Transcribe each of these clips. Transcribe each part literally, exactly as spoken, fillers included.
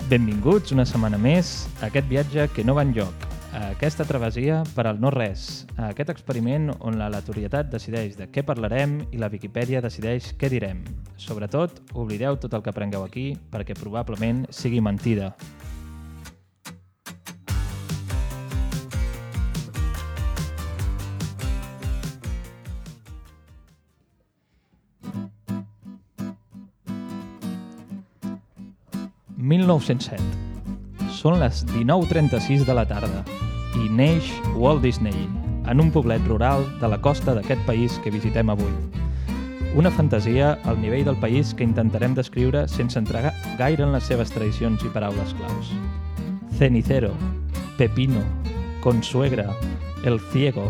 Benvinguts una setmana més a aquest viatge que no va enlloc, a aquesta travessia per al no-res, a aquest experiment on l'aleatorietat decideix de què parlarem i la Viquipèdia decideix què direm. Sobretot, oblideu tot el que aprengueu aquí perquè probablement sigui mentida. mil nou-cents set. Són les dinou trenta-sis de la tarda i neix Walt Disney en un poblet rural de la costa d'aquest país que visitem avui. Una fantasia al nivell del país que intentarem descriure sense entregar gaire en les seves tradicions i paraules claus. Cenicero, Pepino, Consuegra, El Ciego,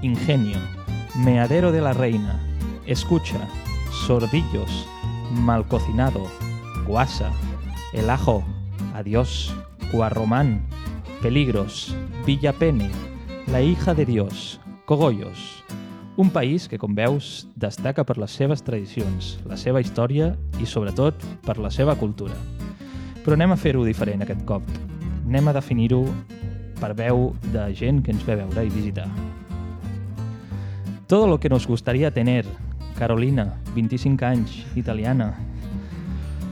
Ingenio, Meadero de la Reina, Escucha, Sordillos, Mal Cocinado, Guasa, El Ajo, Adiós, Guarromán, Peligros, Villapene, La Hija de Dios, Cogollos. Un país que, com veus, destaca per les seves tradicions, la seva història i, sobretot, per la seva cultura. Però anem a fer-ho diferent aquest cop. Anem a definir-ho per veu de gent que ens ve veure i visitar. Todo lo que nos gustaría tener. Carolina, veinticinc anys, italiana.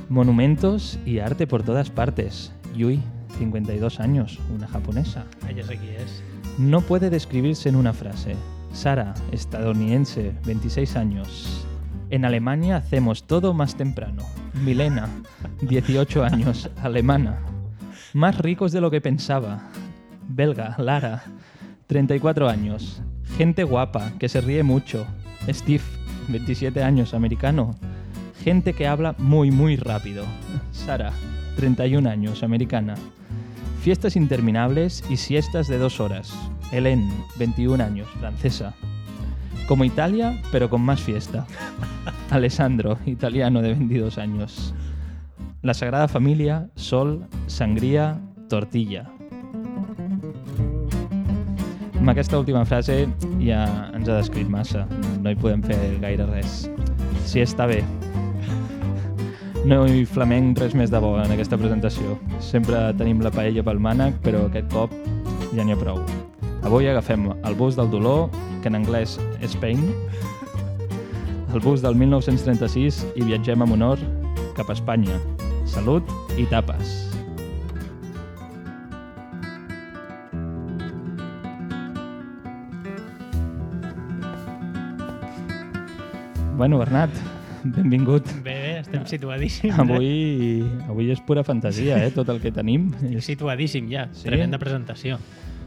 Monumentos y arte por todas partes. Yui, cincuenta y dos años, una japonesa. Ah, ya sé quién es. No puede describirse en una frase. Sara, estadounidense, veintiséis años. En Alemania hacemos todo más temprano. Milena, dieciocho años, alemana. Más ricos de lo que pensaba. Belga, Lara, treinta y cuatro años. Gente guapa, que se ríe mucho. Steve, veintisiete años, americano. Gente que habla muy, muy rápido. Sara, treinta y un años, americana. Fiestas interminables y siestas de dos horas. Hélène, veintiún años, francesa. Como Italia, pero con más fiesta. Alessandro, italiano de veintidós años. La Sagrada Familia, sol, sangria, tortilla. Amb aquesta última frase ja ens ha descrit massa. No hi podem fer gaire res. Sí, està bé. No hi flamenc res més de bo en aquesta presentació. Sempre tenim la paella pel mànec, però aquest cop ja n'hi ha prou. Avui agafem el bus del dolor, que en anglès és pain, el bus del mil nou-cents trenta-sis i viatgem amb honor cap a Espanya. Salut i tapes! Bueno, Bernat, benvingut. Bé, bé, estem situadíssims. Avui, avui és pura fantasia, eh, tot el que tenim. Estic situadíssim ja, Sí? tremenda presentació.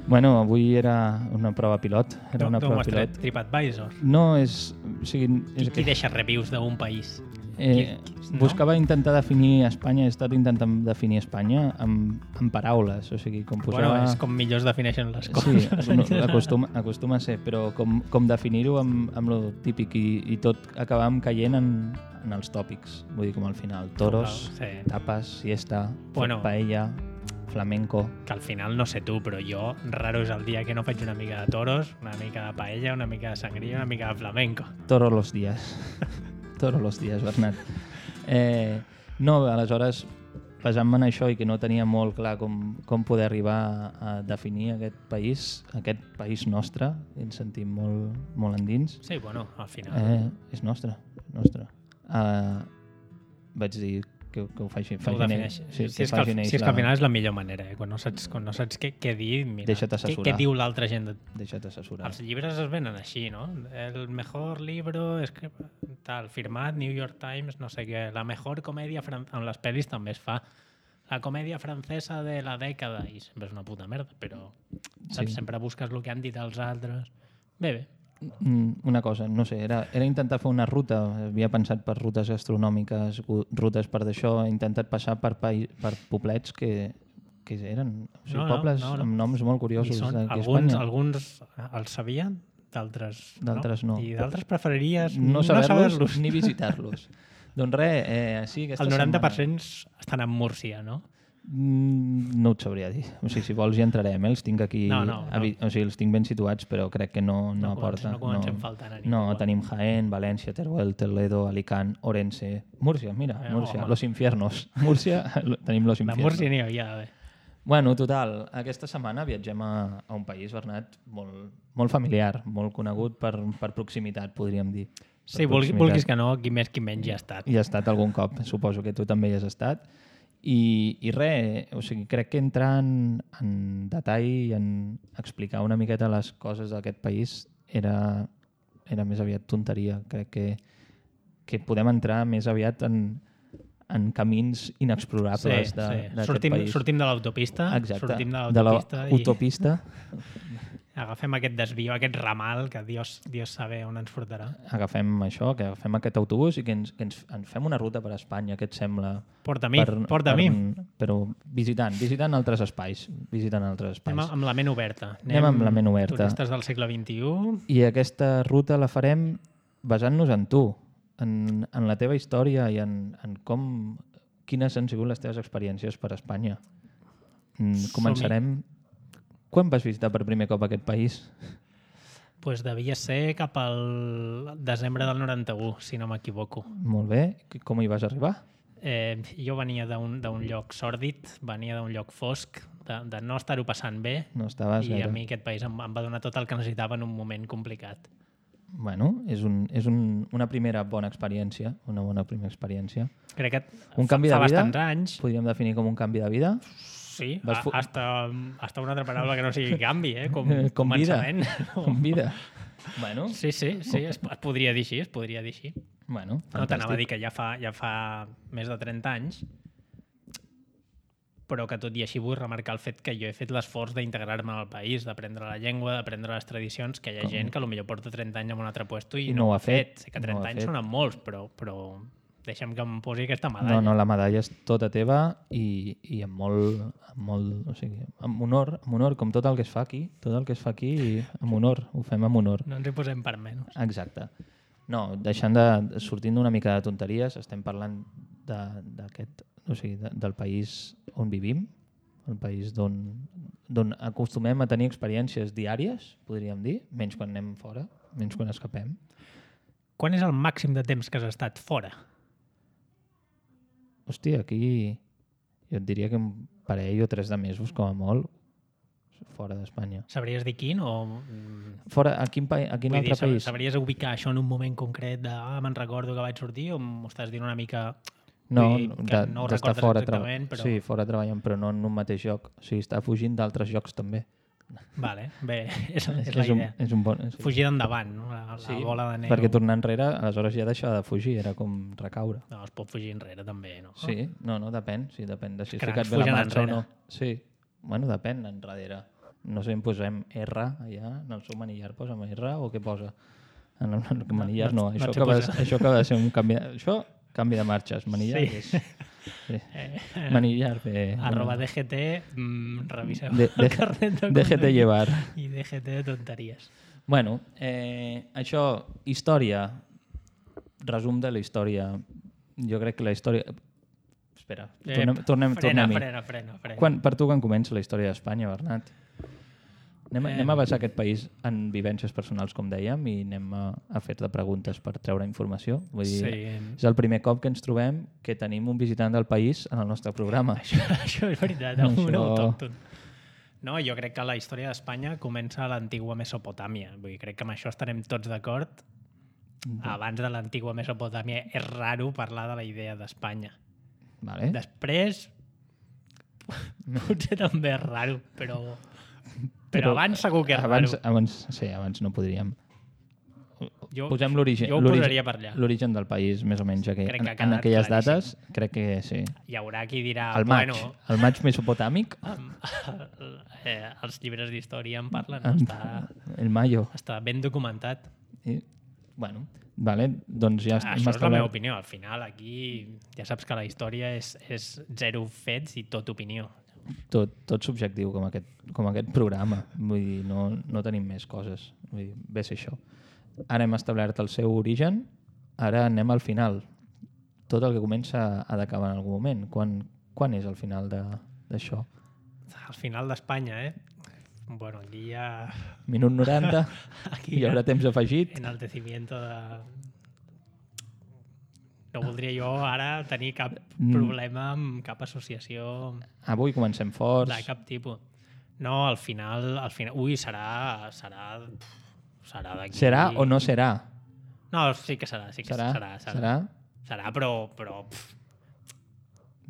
Bueno, avui era una prova pilot. Era una D'on prova ho has tret? pilot. TripAdvisor. No, és... O sigui, Qui, és qui deixa reviews d'un país? Eh, no? buscava intentar definir Espanya, he estat intentant definir Espanya amb, amb paraules, o sigui, com posar... Bueno, és com millor es defineixen les Sí, coses. no, acostuma, acostuma a ser, però com, com definir-ho amb, amb lo típic i, i tot acabàvem caient en, en els tòpics, vull dir, com al final, toros, Sí. tapes, siesta, Bueno. paella, flamenco... Que al final no sé tu, però jo raro és el dia que no faig una mica de toros, una mica de paella, una mica de sangria, una mica de flamenco. Todos los días. Todos los días, Bernat. Eh, no, aleshores, basant-me en això i que no tenia molt clar com, com poder arribar a, a definir aquest país, aquest país nostre, ens sentim molt, molt endins, Sí, bueno, al final. eh, és nostre, nostre. Uh, vaig dir que, que ho faci, ho faci defineix. sí, si, és que, al- si és que al final és la millor manera, eh? quan, no saps, quan no saps què, què dir, mira, Deixa't què, assessorar. què diu l'altra gent. De... Deixa't assessorar. Els llibres es venen així, no? El mejor libro és que tal, firmat, New York Times, no sé què, la mejor comèdia francesa, en les pel·lis també es fa la comèdia francesa de la dècada, i sempre és una puta merda, però saps? Sí. Sempre busques el que han dit els altres. Bé, bé. Mm, Una cosa, no sé, era, era intentar fer una ruta, havia pensat per rutes gastronòmiques, gu- rutes per d'això, he intentat passar per, pai, per poblets que, que eren o sigui, No, no, pobles no, no. amb noms molt curiosos I són, d'aquí a alguns, Espanya. alguns els sabien, d'altres no. D'altres no. I d'altres preferiries No saber-los saber-los. ni visitar-los. Doncs res, eh, sí, aquesta El noranta per setmana... cent estan en Múrcia, no? Mm, no et sabria dir. O sigui, si vols hi entrarem, eh? Els tinc aquí... No, no, no. O sigui, els tinc ben situats, però crec que no, no, No aporta. comencem- no comencem faltant a ningú. No, tenim Jaén, València, Teruel, Toledo, Alicant, Orense, Múrcia, mira, Eh, Múrcia, home. Los Infiernos. Múrcia, tenim Los De Infiernos. Múrcia n'hi havia d'haver. Bueno, total, aquesta setmana viatgem a, a un país, Bernat, molt, molt familiar, molt conegut per, per proximitat, podríem dir. Per Sí, vulgui, proximitat. vulguis que no, qui més qui menys ja ha estat. Hi ha estat algun cop, suposo que tu també hi has estat. I, i res, o sigui, crec que entrar en, en detall i en explicar una miqueta les coses d'aquest país era, era més aviat tonteria. Crec que, que podem entrar més aviat en, en camins inexplorables Sí, de- sí. d'aquest Sortim, país. sortim de l'autopista, Exacte, sortim de de l'autopista i l'autopista. agafem aquest desvió, aquest ramal que Dios, Dios sabe on ens portarà. Agafem això, que agafem aquest autobús i que ens, que ens, ens fem una ruta per Espanya, què et sembla? Porta a mi, porta a mi. Però visitant, visitant altres espais, visitant altres espais. Anem amb la ment oberta. Anem amb la ment oberta. Turistes del segle vint-i-u. I aquesta ruta la farem basant-nos en tu, en, en la teva història i en, en com, quines han sigut les teves experiències per Espanya. Mm, Començarem... Quan vas visitar per primer cop aquest país? Pues devia ser cap al desembre del noranta-u, si no m'equivoco. Molt bé. Com hi vas arribar? Eh, jo venia d'un d'un lloc sòrdid, venia d'un lloc fosc, de, de no estar-ho passant bé, No estaves i gaire... a mi aquest país em, em va donar tot el que necessitava en un moment complicat. Bueno, és, un, és un, una primera bona experiència, una bona primera experiència. Crec que Un fa, canvi fa de vida? bastants anys. Podríem definir com un canvi de vida. Sí, Vas a, fu- hasta, hasta una altra paraula que no sigui canvi, eh? Com, Eh, com vida. començament. Com vida. Bueno, Sí, sí, sí, es, es podria dir així, es podria dir així. bueno No t'anava a dir fantàstic. que ja fa, ja fa més de trenta anys, però que tot i així vull remarcar el fet que jo he fet l'esforç d'integrar-me al país, d'aprendre la llengua, d'aprendre les tradicions, que hi ha Com? gent que potser porta trenta anys en un altre puesto i, I no ho ha fet, Sé que no ho trenta ha anys fet. sonen molts, però, però deixa'm que em posi aquesta medalla. No, no, la medalla és tota teva i, i amb molt, amb molt, o sigui, amb honor, amb honor, com tot el que es fa aquí, tot el que es fa aquí, amb honor, ho fem amb honor. No ens hi posem per menys. Exacte. No, deixant de, sortint d'una mica de tonteries, estem parlant de- d'aquest, o sigui, de, del país on vivim, el país d'on d'on acostumem a tenir experiències diàries, podríem dir, menys quan anem fora, menys quan escapem. Quan és el màxim de temps que has estat fora? Hòstia, aquí jo et diria que un parell o tres de mesos, com a molt, fora d'Espanya. Sabries dir quin o... mm, Fora, a quin, pa a quin Vull altre dir, sab- país? sabries ubicar això en un moment concret de ah, me'n recordo que vaig sortir o m'ho estàs dient una mica... No, vull dir que de- no ho d'estar recordes fora, exactament, però... però... sí, fora treballant, però no en un mateix lloc. O sigui, està fugint d'altres llocs també. Vale, bé, és, és la és, un, idea. és un bon... És... Fugir d'endavant, no? La, la Sí, bola de neu. perquè tornar enrere, aleshores ja deixava de fugir, era com recaure. No, es pot fugir enrere també, no? Sí, no, no, depèn, sí, depèn de si has Cracs ficat bé la fugen marxa o enrere. no. Sí, bueno, depèn, enrere. No sé, en posem R allà, en el seu manillar posem R o què posa? En el, en el manillar no, no- no això, et sé acaba, posar. això acaba de ser un canvi... De, això, canvi de marxes, manillar Sí. és... Sí. Eh, Manillar bé. arroba D G T, mm, reviseu De- de- el carnet de Déjate conduir llevar. i D G T de tonteries. Bueno, eh, això, història, resum de la història. Jo crec que la història... Espera, tornem, Eh, tornem, frena, tornem-hi. frena, frena, frena. Quan, per tu, quan comença la història d'Espanya, Bernat? Anem, a- Eh. anem a basar aquest país en vivències personals, com dèiem, i anem a, a fer-te preguntes per treure informació. Vull dir, Sí. és el primer cop que ens trobem que tenim un visitant del país en el nostre programa. Això, això és veritat, Això- un autòcton. No, jo crec que la història d'Espanya comença a l'antigua Mesopotàmia. Vull dir, crec que amb això estarem tots d'acord. Abans de l'antigua Mesopotàmia és raro parlar de la idea d'Espanya. Vale? Després, potser també és raro, però, però, Però abans segur que és abans, raro. abans, sí, abans no podríem. Jo, Posem l'origen jo ho l'origen- posaria per allà. l'origen del país, més o menys, aqu Crec que en, ha en quedat aquelles claríssim. dates, crec que sí. Hi haurà qui dirà, El maig, bueno, el maig mesopotàmic, amb, eh, els llibres d'història en parlen, amb està, el mayo. està ben documentat. I, bueno, vale, doncs ja Ah, hem això és la meva establert... opinió. Al final, aquí ja saps que la història és, és zero fets i tot opinió. Tot, tot subjectiu, com aquest, com aquest programa. Vull dir, no, no tenim més coses. Vull dir, ve a ser això. Ara hem establert el seu origen, ara anem al final. Tot el que comença ha d'acabar en algun moment. Quan, quan és el final de, d'això. Al final d'Espanya, eh? Bueno, aquí ja... Minut noranta, Aquí hi haurà ja temps afegit. enaltecimiento de... No voldria jo ara tenir cap Mm. problema amb cap associació Avui comencem forts. de cap tipus. No, al final... Al final ui, serà... Serà... Serà d'aquí... Serà o no serà? No, sí que serà, sí que Serà? serà. Serà, Serà? serà però... però pff,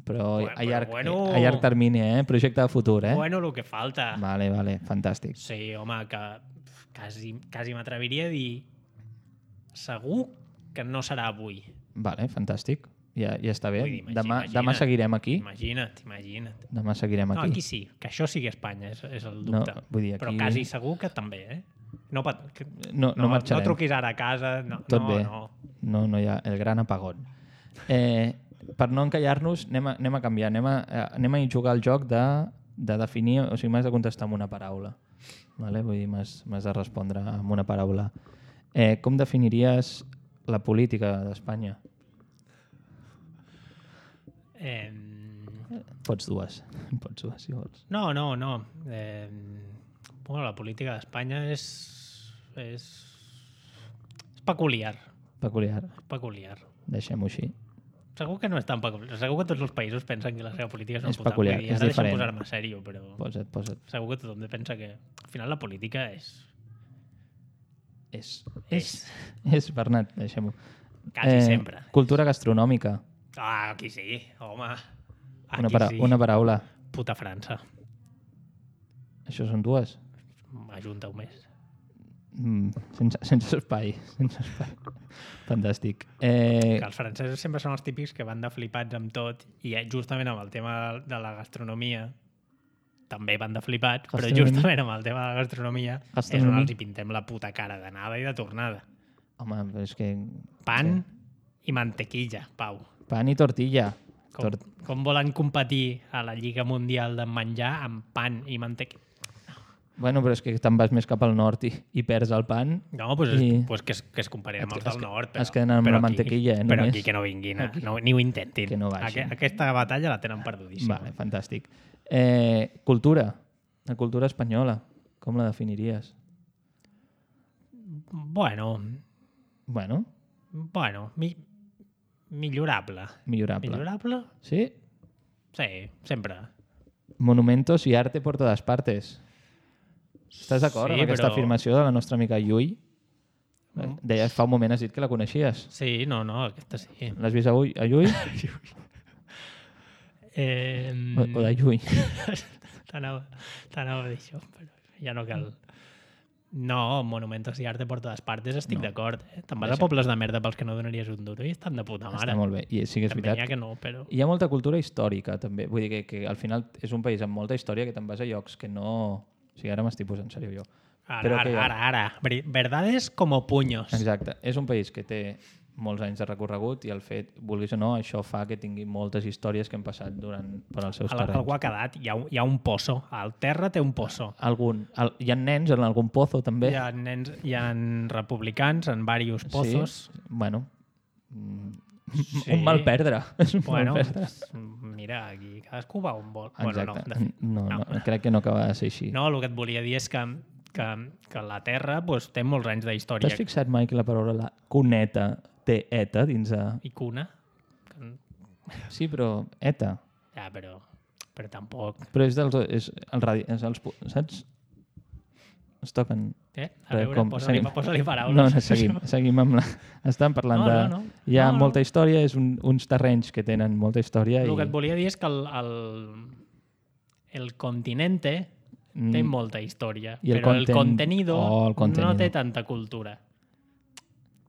Però Bueno, a llarg, però bueno. a llarg termini, eh? Projecte de futur, eh? bueno, el que falta. Vale, vale, fantàstic. Sí, home, que pff, quasi, quasi m'atreviria a dir segur que no serà avui. Vale, fantàstic. Ja, ja està bé. Vull dir, imagina- Demà, imagina't. demà seguirem aquí. Imagina't, imagina't. Demà seguirem No, aquí. aquí sí, que això sigui Espanya, és, és el No, dubte. vull dir, Però aquí- quasi segur que també, eh? No, pat, que, No, no, no, no marxarem. truquis ara a casa. No, Tot no, bé. No. No, no hi ha el gran apagón. Eh, per no encallar-nos, anem, a, anem a canviar. Anem a, eh, anem a jugar al joc de, de definir... O sigui, m'has de contestar amb una paraula. Vale? Vull dir, m'has m'has de respondre amb una paraula. Eh, com definiries la política d'Espanya? Eh, Pots dues. Pots dues, si vols. no, no, no. Eh, bueno, la política d'Espanya és, és... és peculiar. Peculiar. Peculiar. Deixem-ho així. Segur que no és tan peculiar. Segur que tots els països pensen que la seva política és una És puta. peculiar, Vull dir, és ara deixa'm diferent. posar-me sèrio, però Posa't, posa't. segur que tothom pensa que al final la política és... És. És. És, Bernat, deixem-ho. Quasi sempre. Cultura gastronòmica. Ah, aquí sí, home. Aquí Una, para sí. una paraula. Puta França. Això són dues. Ajunta-ho més. Mm, sense, sense espai. Sense espai. Fantàstic. Eh, Que els francesos sempre són els típics que van de flipats amb tot i eh, justament amb el tema de la gastronomia també van de flipats, però Gastronomia. justament amb el tema de la gastronomia és on Gastronomia. els hi pintem la puta cara d'anada i de tornada. home, però és que... Pan i mantequilla, Pau. Pan i tortilla. Com, Tort... com volen competir a la Lliga Mundial de menjar amb pan i mantequilla? Bueno, però és que te'n vas més cap al nord i, i perds el pan. No, pues, és, I- pues que, es, que es comparin amb Es els que- del es que- nord. Però, es queden amb però la aquí- mantequilla, eh, Però només. aquí que no vinguin, a, no, ni ho intentin. Que no vagin. Aqu aquesta batalla la tenen perdudíssima. Vale, fantàstic. Eh, cultura. La cultura espanyola. Com la definiries? Bueno, Bueno, bueno, mi, millorable. millorable. Millorable? Sí? Sí, sempre. Monumentos y arte por todas partes. Estàs d'acord Sí, amb aquesta però- afirmació de la nostra amiga Llui? Mm. Deia, fa un moment has dit que la coneixies. Sí, no, no, aquesta sí. L'has vist a, Ui, a Llui? Eh, O, o de Llui? T'anava t'anava a dir això, però ja no cal. No, monumentos i arte por todas partes, estic No. d'acord. Eh? Te'n vas Deixa- a pobles de merda pels que no donaries un duro i estan de puta mare. Està molt bé. I sí que és També n'hi ha veritat. que no, però... Hi ha molta cultura històrica, també. Vull dir que, que al final és un país amb molta història que te'n vas a llocs que no... O sigui, ara m'estic posant sèrio jo. Ara, Però ara, que- ara, ara. Ver- Verdades como puños. Exacte. És un país que té molts anys de recorregut i el fet, vulguis o no, això fa que tingui moltes històries que han passat durant, per als seus Al, terrenys. algú ha quedat, hi ha, un- hi ha un pozo. Al terra té un pozo. Algun, el, hi ha nens en algun pozo, també. Hi ha, nens, hi ha republicans en diversos pozos. Sí. Bueno, mm, Sí. un mal perdre. És un Bueno, mal perdre. mira, aquí cadascú va on vol. Bueno, no, Exacte. de fet, no, no, no. crec que no acaba de ser així. no, el que et volia dir és que, que, que la Terra pues, té molts anys d'història. T'has fixat mai que la paraula la cuneta té eta dins de... I cuna. Que- Sí, però eta. Ja, però, però tampoc... Però és dels... És el radi... És els, pu- saps? Es toquen... Eh? A Res, veure, com- posa-li seguim. posa paraules. No, no, seguim, seguim amb la... Estan parlant No, de... no, no. Hi ha No, no. molta història, és un, uns terrenys que tenen molta història El i... que et volia dir és que el, el, el continente té Mm, molta història, I el però el conten- contenido, Oh, el contenido. no té tanta cultura.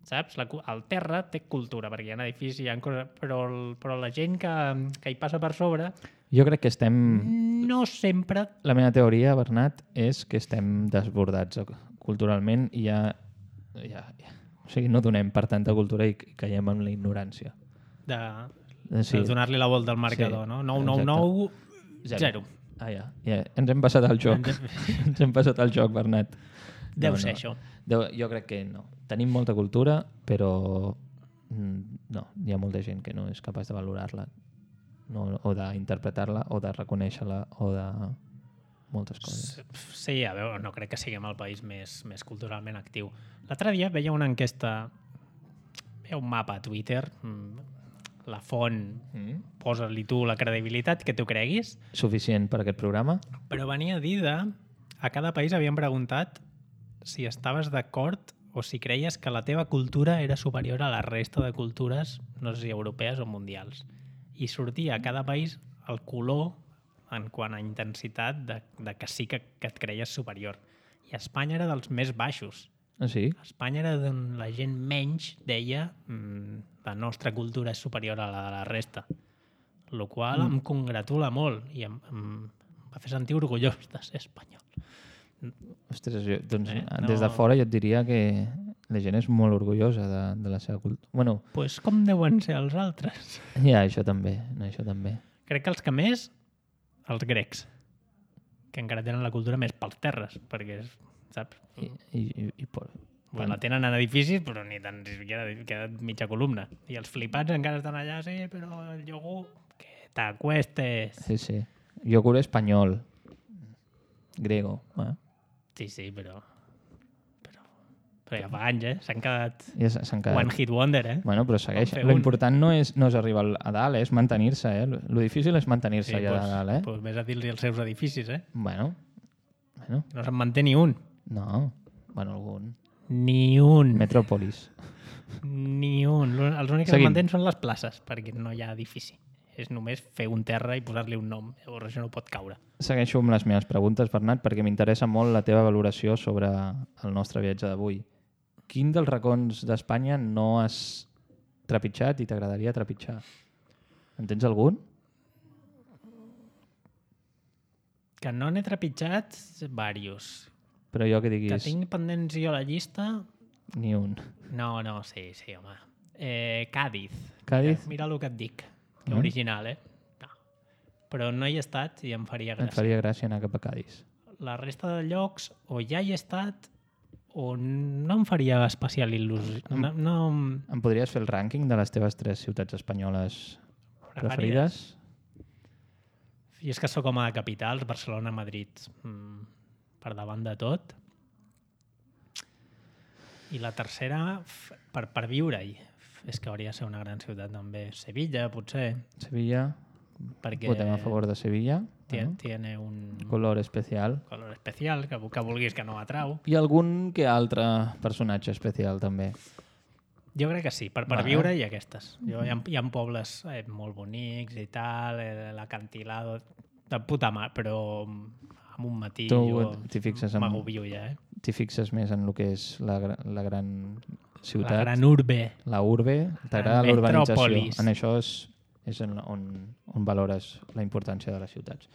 Saps? La, cu- el terra té cultura, perquè hi ha edificis, hi ha coses, però, el, però la gent que, que hi passa per sobre Jo crec que estem... no sempre... La meva teoria, Bernat, és que estem desbordats culturalment i ja, ja, ja... O sigui, no donem per tanta cultura i caiem en la ignorància. de, Eh, sí. de donar-li la volta al marcador, Sí, no? nou nou nou, zero. Ah, ja. ja. Ens hem passat al joc. Ens hem passat al joc, Bernat. Deu ser això. Deu, jo crec que no. Tenim molta cultura, però mm, no, hi ha molta gent que no és capaç de valorar-la no, o d'interpretar-la, o de reconèixer-la, o de moltes coses. Sí, a veure, no crec que siguem el país més, més culturalment actiu. L'altre dia veia una enquesta, veia un mapa a Twitter, la font, mm. posa-li tu la credibilitat que tu creguis. Suficient per aquest programa? Però venia a dir de... A cada país havien preguntat si estaves d'acord o si creies que la teva cultura era superior a la resta de cultures, no sé si europees o mundials. I sortia a cada país el color en quant a intensitat de, de que sí que, que et creies superior. I Espanya era dels més baixos. Ah, sí? Espanya era d'on la gent menys deia mmm, la nostra cultura és superior a la de la resta. El qual mm. em congratula molt i em, em va fer sentir orgullós de ser espanyol. Ostres, jo, doncs, eh, no... des de fora jo et diria que la gent és molt orgullosa de, de la seva cultura. Bueno, pues com deuen ser els altres? Ja, això també, això també. Crec que els que més, els grecs, que encara tenen la cultura més pels terres, perquè, saps? I, i, i, i por... bueno, la tenen en edificis, però ni tan siquiera queda mitja columna. I els flipats encara estan allà, sí, però el iogurt, que t'acuestes. Sí, sí. Iogurt espanyol. Grego, eh? Sí, sí, però... Però, però ja fa anys, eh? S'han quedat... Ja s'han quedat... One hit wonder, eh? Bueno, però segueix. Lo important no és, no és arribar a dalt, eh? És mantenir-se, eh? Lo difícil és mantenir-se sí, allà pues, a dalt, eh? Pues vés a dir-li els seus edificis, eh? Bueno. bueno. No se'n manté ni un. No. Bueno, algun. Ni un. Metròpolis. Ni un. Els únics que es mantenen són les places, perquè no hi ha edifici. És només fer un terra i posar-li un nom. Llavors això no pot caure. Segueixo amb les meves preguntes, Bernat, perquè m'interessa molt la teva valoració sobre el nostre viatge d'avui. Quin dels racons d'Espanya no has trepitjat i t'agradaria trepitjar? En tens algun? Que no n'he trepitjat, diversos. Però jo que diguis... Que tinc pendents jo a la llista... Ni un. No, no, sí, sí, home. Eh, Càdiz. Càdiz? Mira, mira el que et dic. Que mm. original, eh? No. Però no hi he estat i em faria gràcia. Em faria gràcia anar cap a Càdiz. La resta de llocs o ja hi he estat o no em faria especial il·lusió. No, no... Em podries fer el rànquing de les teves tres ciutats espanyoles preferides? I és que sóc home de capitals, Barcelona, Madrid, mm, per davant de tot. I la tercera, per, per viure-hi. És que hauria de ser una gran ciutat també. Sevilla, potser. Sevilla. Perquè votem a favor de Sevilla. Tiene, ¿no? tiene un... Color especial. Color especial, que, que vulguis que no atrau. I algun que altre personatge especial, també. Jo crec que sí, per, per viure i aquestes. Jo, hi, ha, hi ha pobles eh, molt bonics i tal, eh, l'acantilado, de puta mà, però amb un matí tu jo m'agobio ja. Eh? T'hi fixes més en el que és la, la gran ciutat. La gran urbe. La urbe. T'agrada la urbanització. En això és, és on, on valores la importància de les ciutats.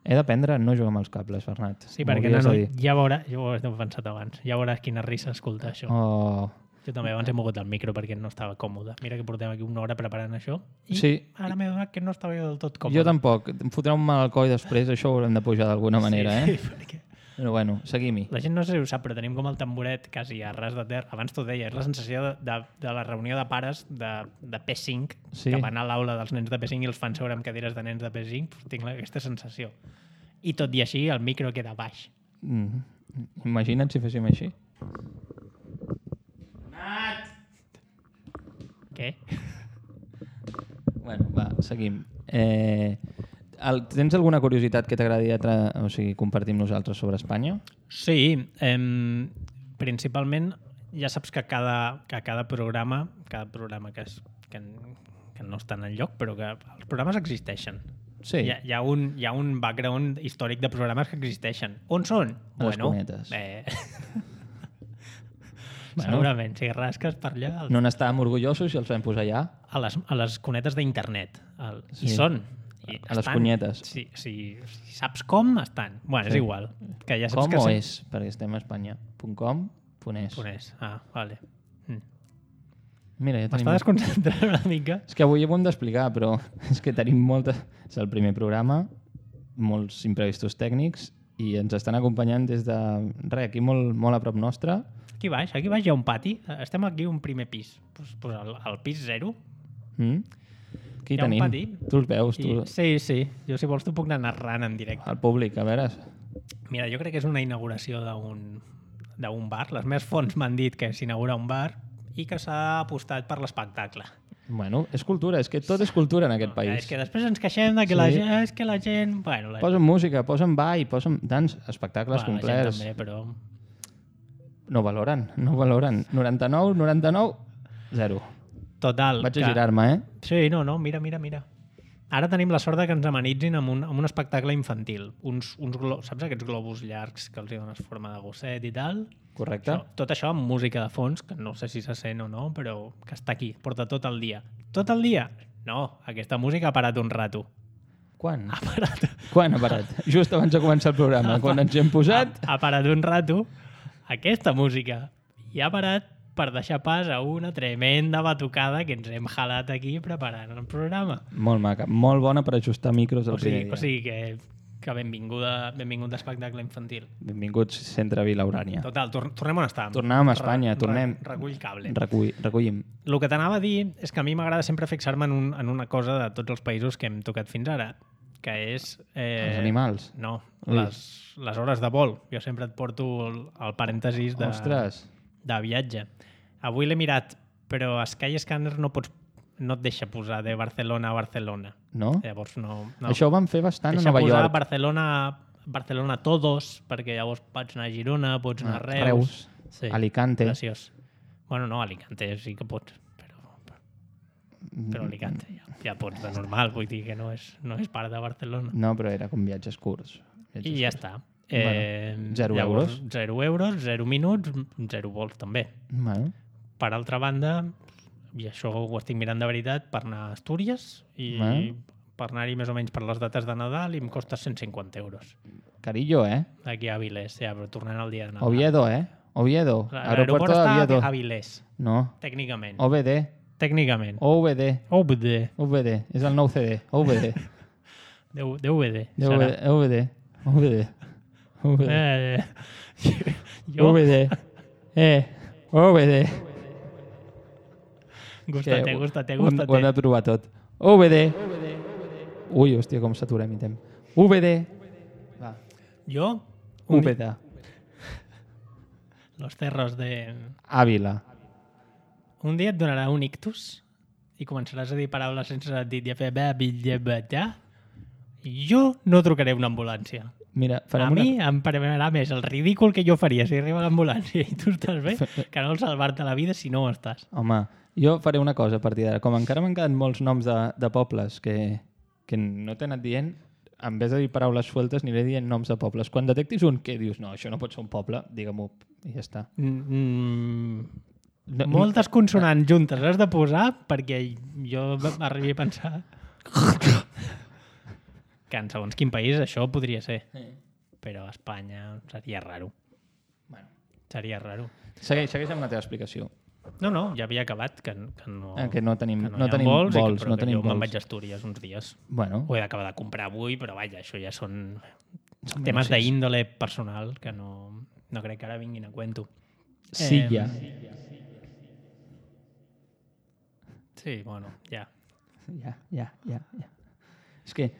He d'aprendre a no jugar amb els cables, Bernat. Sí, perquè no, no, ja veuràs, jo ho he pensat abans, ja veuràs quina risa escoltar això. Oh. Jo també abans he mogut el micro perquè no estava còmode. Mira que portem aquí una hora preparant això i sí. ara m'he donat que no estava jo del tot còmode. Jo tampoc. Em fotrà un mal al coll després, això ho haurem de pujar d'alguna manera, sí, eh? Sí, perquè... Però bueno, seguim-hi. La gent no sé si ho sap, però tenim com el tamboret quasi a ras de terra. Abans t'ho deia, és la sensació de, de, de la reunió de pares de, de P cinc, sí. que van a l'aula dels nens de P cinc i els fan seure amb cadires de nens de P cinc. Tinc aquesta sensació. I tot i així, el micro queda baix. Mm. Imagina't si féssim així. Nat! Què? Bueno, va, seguim. Eh... El, tens alguna curiositat que t'agradaria tra... o sigui, compartir amb nosaltres sobre Espanya? Sí, eh, principalment ja saps que cada, que cada programa, cada programa que, és, que, que no estan en lloc, però que els programes existeixen. Sí. Hi ha, hi ha, un, hi ha un background històric de programes que existeixen. On són? A les cunetes. Eh... bueno, segurament, si rasques per allà... Els... No n'estàvem orgullosos i els vam posar allà? A les, a les cunetes d'internet. El... Sí. I són... I a les punyetes. Si, si, si saps com, estan. Bueno, sí. És igual. Que ja saps com que o sí. és? Perquè estem a Espanya. .com, .es. .es. Ah, vale. Mm. Mira, ja tenim... M'està desconcentrant una mica. És que avui ho hem d'explicar, però és que tenim molta... És el primer programa, molts imprevistos tècnics i ens estan acompanyant des de... Res, aquí molt, molt a prop nostre. Aquí baix, aquí baix hi ha un pati. Estem aquí un primer pis. Pues, pues el, el pis zero. Mm. Aquí Hi ha un tenim. pati. Tu els veus, tu... I, sí, sí. Jo, si vols, t'ho puc anar narrant en directe. El públic, a veure... Mira, jo crec que és una inauguració d'un d'un bar. Les meves fonts m'han dit que s'inaugura un bar i que s'ha apostat per l'espectacle. Bueno, és cultura, és que tot és cultura en aquest No, país. és que després ens queixem de que Sí. la gent... És que la gent... Bueno, la, Posen música, posen ball, posen dans, espectacles bueno, la gent complets. també, però... No valoren, no valoren. noranta-nou, noranta-nou, zero. Total. Vaig que- a girar-me, eh? Sí, no, no, mira, mira, mira. Ara tenim la sort de que ens amenitzin amb un, amb un espectacle infantil. Uns, uns glo... Saps aquests globus llargs que els hi dones forma de gosset i tal? Correcte. Això, tot això amb música de fons, que no sé si se sent o no, però que està aquí, porta tot el dia. Tot el dia? No, aquesta música ha parat un rato. Quan? Ha parat, Quan ha parat? Just abans de començar el programa, quan ens hi hem posat... ha, ha parat un rato aquesta música. I ha parat per deixar pas a una tremenda batucada que ens hem jalat aquí preparant el programa. Molt maca, molt bona per ajustar micros el O sigui, primer dia. o sigui que, que benvinguda, benvingut d'espectacle infantil. Benvinguts, Centre Vila Urània. Total, tor tornem on estàvem. Tornàvem a Espanya, Re- tornem. Re recull cable. Recull, recollim. El que t'anava a dir és que a mi m'agrada sempre fixar-me en, un, en una cosa de tots els països que hem tocat fins ara, que és... Eh, Els animals. No, Ui. les, les hores de vol. Jo sempre et porto el, el parèntesis de, Ostres. de viatge. Avui l'he mirat, però a Skyscanner no pots no et deixa posar de Barcelona a Barcelona. No? Llavors no... no. Això ho van fer bastant a deixa Nova posar York. Barcelona, Barcelona todos, perquè llavors pots anar a Girona, pots anar a Ah, Reus. Reus, Alicante. Graciós. Bueno, no, Alicante sí que pots, però, però Alicante ja, ja pots de normal, vull dir que no és, no és part de Barcelona. No, però era com viatges curts. Viatges I ja curts. està. Eh, Bueno, zero llavors, euros. Zero euros, zero minuts, zero vols també. Bueno, Per altra banda, i això ho estic mirant de veritat, per anar a Astúries i Bueno. per anar-hi més o menys per les dates de Nadal i em costa cent cinquanta euros. carillo, eh? D'aquí a Avilés, ja, però tornant al dia de Nadal. Oviedo, eh? Oviedo. L'aeroport Aeropuerto de està Oviedo. a Avilés, No. tècnicament. O V D. Tècnicament. O V D. O V D. O V D. És el nou C D. O V D. D V D. O V D. O V D. O V D. O V D. Eh, jo, O V D. Eh. O V D. gustate, Que gustate, ho hem- Ho hem gustate. de provar tot. O V D. Ui, hòstia, com s'atura mi temps. O V D. Va. Jo, un U V dia, D. los cerros de... Àvila. Un dia et donarà un ictus i començaràs a dir paraules sense sentit i a fer bé, bitlle, betà. Jo no trucaré una ambulància. Mira, A farem mi una... em permetrà més el ridícul que jo faria si arriba l'ambulància i tu estàs bé que no el salvar-te la vida si no ho estàs. Home, jo faré una cosa a partir d'ara. Com encara m'han quedat molts noms de, de pobles que, que no t'he anat dient, en vez de dir paraules sueltes, aniré dient noms de pobles. Quan detectis un que dius, no, això no pot ser un poble, digue-m'ho i ja està. Mm, No, moltes consonants juntes has de posar perquè jo arribi a pensar que en segons quin país això podria ser. Però a Espanya seria raro. Bueno. Seria raro. Segueix, segueix amb la teva explicació. No, no, ja havia acabat que, que no, Eh, que no tenim- que no hi ha tenim vols, i vols, que, però no que tenim jo me'n vols. vaig a Astúries uns dies. Bueno, Ho he d'acabar de comprar avui, però vaja, això ja són Són temes negocis. d'índole personal que no, no crec que ara vinguin a cuento. Silla. Sí, bueno, ja. Ja, ja, ja, ja. És que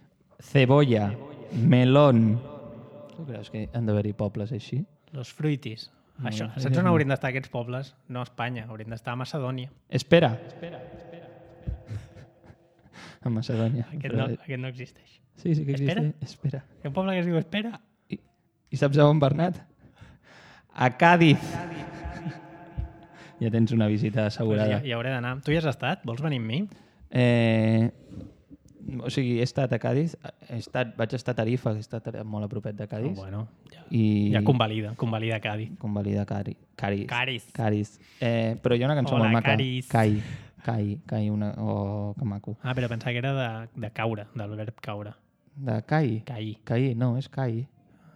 cebolla, melón... Tu creus que han d'haver-hi pobles així? Los fruitis. No, Això, no, saps on no. haurien d'estar aquests pobles? No a Espanya, haurien d'estar a Macedònia. Espera. A Macedònia. Aquest Però- no, aquest no existeix. Sí, sí que Espera? existe. Espera. Hi ha un poble que es diu Espera? I, I saps a on, Bernat? A Càdiz. Ja tens una visita Pues assegurada. hi, hi hauré d'anar. Tu hi has estat? Vols venir amb mi? Eh, o sigui, he estat a Càdiz, he estat, vaig estar a Tarifa, que he estat molt a propet de Càdiz, Oh, bueno, ja, i ja convalida, convalida Cádiz. convalida Cari, Càriz. Càriz. Càriz. Eh, però hi ha una cançó Hola, molt maca. Càriz. Cai. Cai. Cai, una... Oh, que maco. Ah, però pensava que era de, de caure, del verb caure. De Cai. Cair. Cai, no, és Cai.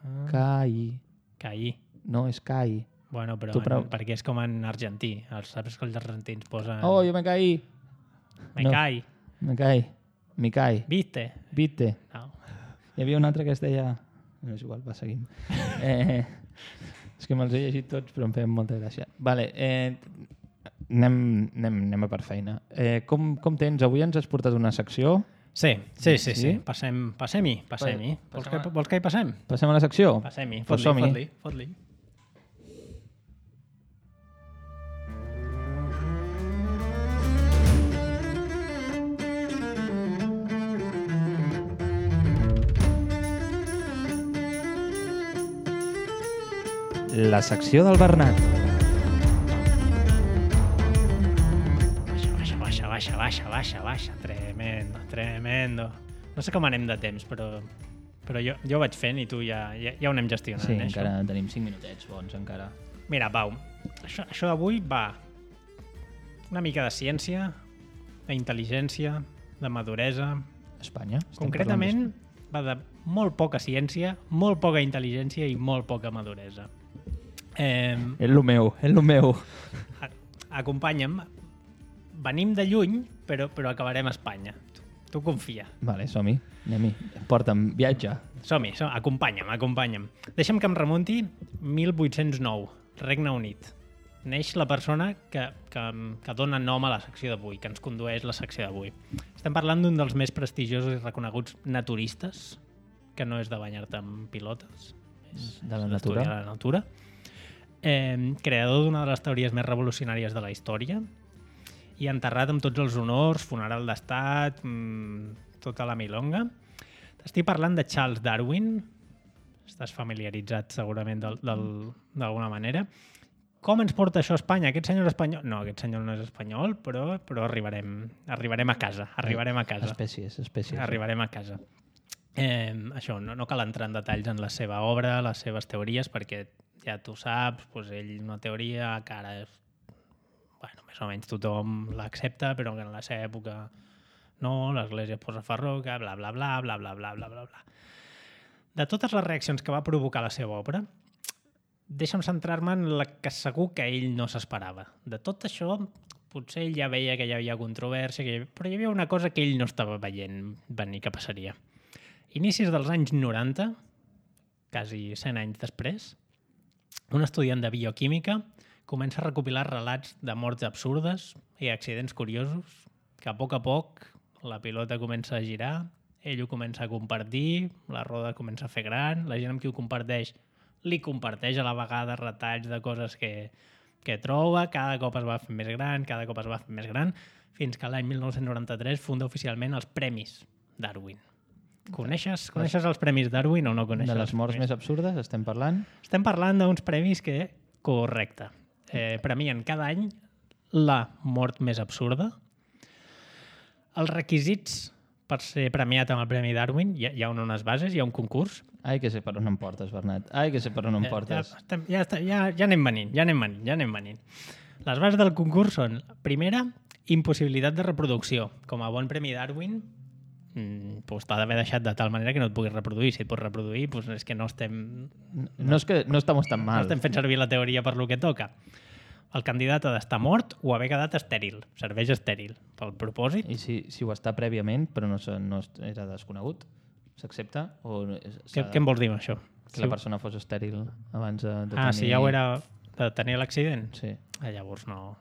Ah. Cai. Cair. No, és Cai. Bueno, però Tu prou- en, perquè és com en argentí. Els, saps que els argentins posen... Oh, jo me caí. Me no. cae. Me caí. Me caí. ¿Viste? Viste. No. Hi havia un altre que es deia... No, és igual, va, seguim. Eh, és que me'ls he llegit tots, però em feien molta gràcia. Vale, eh, anem, anem, anem a per feina. Eh, com, com tens? Avui ens has portat una secció. Sí, sí, sí, sí. Sí? Passem, passem-hi, passem-hi. Pa- Vols, passem que, a- vols que hi passem? Passem a la secció? Passem-hi, Pues fot-li, som-hi. fot-li, fot-li. La secció del Bernat. Baixa, baixa, baixa, baixa, baixa, baixa. Tremendo, tremendo. No sé com anem de temps, però, però jo, jo ho vaig fent i tu ja, ja, ja ho anem gestionant. Sí, eh, encara això. tenim cinc minutets bons, encara. Mira, Pau, això, això d'avui va una mica de ciència, d'intel·ligència, de maduresa. Espanya? Estem Concretament, va de molt poca ciència, molt poca intel·ligència i molt poca maduresa. Eh, parlant- És lo meu, és lo meu. a- acompanya'm. Venim de lluny, però, però acabarem a Espanya. Tu, tu confia. Vale, som-hi. Anem-hi. Porta'm, viatge. Som-hi, som acompanya'm, acompanya'm. Deixa'm que em remunti mil vuit-cents nou, Regne Unit. Neix la persona que, que, que dona nom a la secció d'avui, que ens condueix la secció d'avui. Estem parlant d'un dels més prestigiosos i reconeguts naturistes, que no és de banyar-te amb pilotes, és De la és natura. d'estudiar la natura. Eh, creador d'una de les teories més revolucionàries de la història i enterrat amb tots els honors, funeral d'estat, mmm, tota la milonga. T'estic parlant de Charles Darwin. Estàs familiaritzat segurament del- del- d'alguna manera. Com ens porta això a Espanya? Aquest senyor és espanyol? No, aquest senyor no és espanyol, però, però arribarem, arribarem a casa. Arribarem a casa. Espècies, espècies. Arribarem a casa. Eh, això, no, no cal entrar en detalls en la seva obra, les seves teories, perquè ja tu saps, doncs ell una teoria que ara és, bueno, més o menys tothom l'accepta, però que en la seva època no, l'Església posa farroca, bla, bla, bla, bla, bla, bla, bla, bla, bla. De totes les reaccions que va provocar la seva obra, deixa'm centrar-me en la que segur que ell no s'esperava. De tot això, potser ell ja veia que hi havia controvèrsia, que hi havia... però hi havia una cosa que ell no estava veient venir que passaria. Inicis dels anys noranta, quasi cent anys després, un estudiant de bioquímica comença a recopilar relats de morts absurdes i accidents curiosos, que a poc a poc la pilota comença a girar, ell ho comença a compartir, la roda comença a fer gran, la gent amb qui ho comparteix li comparteix a la vegada retalls de coses que, que troba, cada cop es va fer més gran, cada cop es va fer més gran, fins que l'any mil nou-cents noranta-tres funda oficialment els Premis Darwin. Coneixes, coneixes els Premis Darwin o no coneixes? De les els morts premis? més absurdes estem parlant? Estem parlant d'uns premis que, correcte, eh, premien cada any la mort més absurda. Els requisits per ser premiat amb el Premi Darwin, hi ha, hi ha unes bases, hi ha un concurs. Ai, que sé per on em portes, Bernat. Ai, que sé per on em Eh, portes. Ja, estem, ja, està- ja, ja anem venint, ja anem venint, ja anem venint. Les bases del concurs són, primera, impossibilitat de reproducció. Com a bon Premi Darwin, mm, doncs t'ha d'haver deixat de tal manera que no et puguis reproduir. Si et pots reproduir, doncs és que no estem, No és que no estamos tan no mal. estem fent servir la teoria per lo que toca. El candidat ha d'estar mort o haver quedat estèril. Serveix estèril pel propòsit. I si, si ho està prèviament, però no, se- no era desconegut, s'accepta? O Què, s'ha de- què em vols dir amb això? que la persona fos estèril abans de, de Ah, tenir... si ja ho era de tenir l'accident? Sí. Ah, llavors no,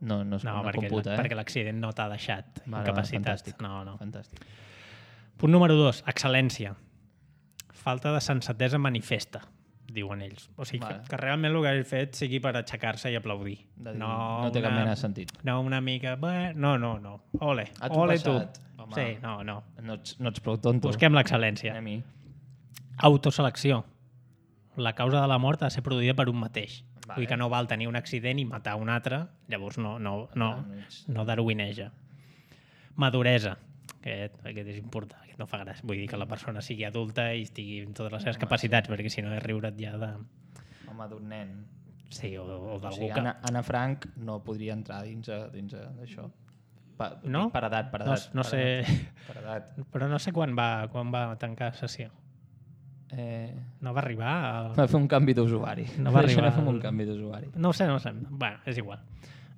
No, no, es, no, no, perquè, computa, eh? perquè l'accident no t'ha deixat Vale, incapacitat. fantàstic. No, no. Fantàstic. Punt número dos, excel·lència. Falta de sensatesa manifesta, diuen ells. O sigui, Vale. que, que realment el que hagi fet sigui per aixecar-se i aplaudir. De dir, no té cap mena de sentit. No una mica... Bé, no, no, no. Ole, A tu ole passat, tu. home. Sí, no, no. No ets, no ets prou tonto. Busquem l'excel·lència. Anem-hi. Autoselecció. La causa de la mort ha de ser produïda per un mateix. Vale. Vull dir que no val tenir un accident i matar un altre, llavors no, no, no, Clar, no ets- no darwineja. Maduresa. Aquest, aquest és important, aquest no fa gràcia. Vull dir que la persona sigui adulta i estigui amb totes les seves Home, capacitats, perquè si no és riure't ja de... Home, d'un nen. Sí, o, o O d'algú sigui, que... Anna, Anna Frank no podria entrar dins, a- dins a- d'això. Pa, No? Per edat, per No, edat. no per sé... Edat, per edat. Però no sé quan va, quan va tancar sessió. Eh, No va arribar a... va fer un canvi d'usuari. No va Això arribar fem al- un canvi d'usuari. No ho sé, no ho sé. Bueno, és igual.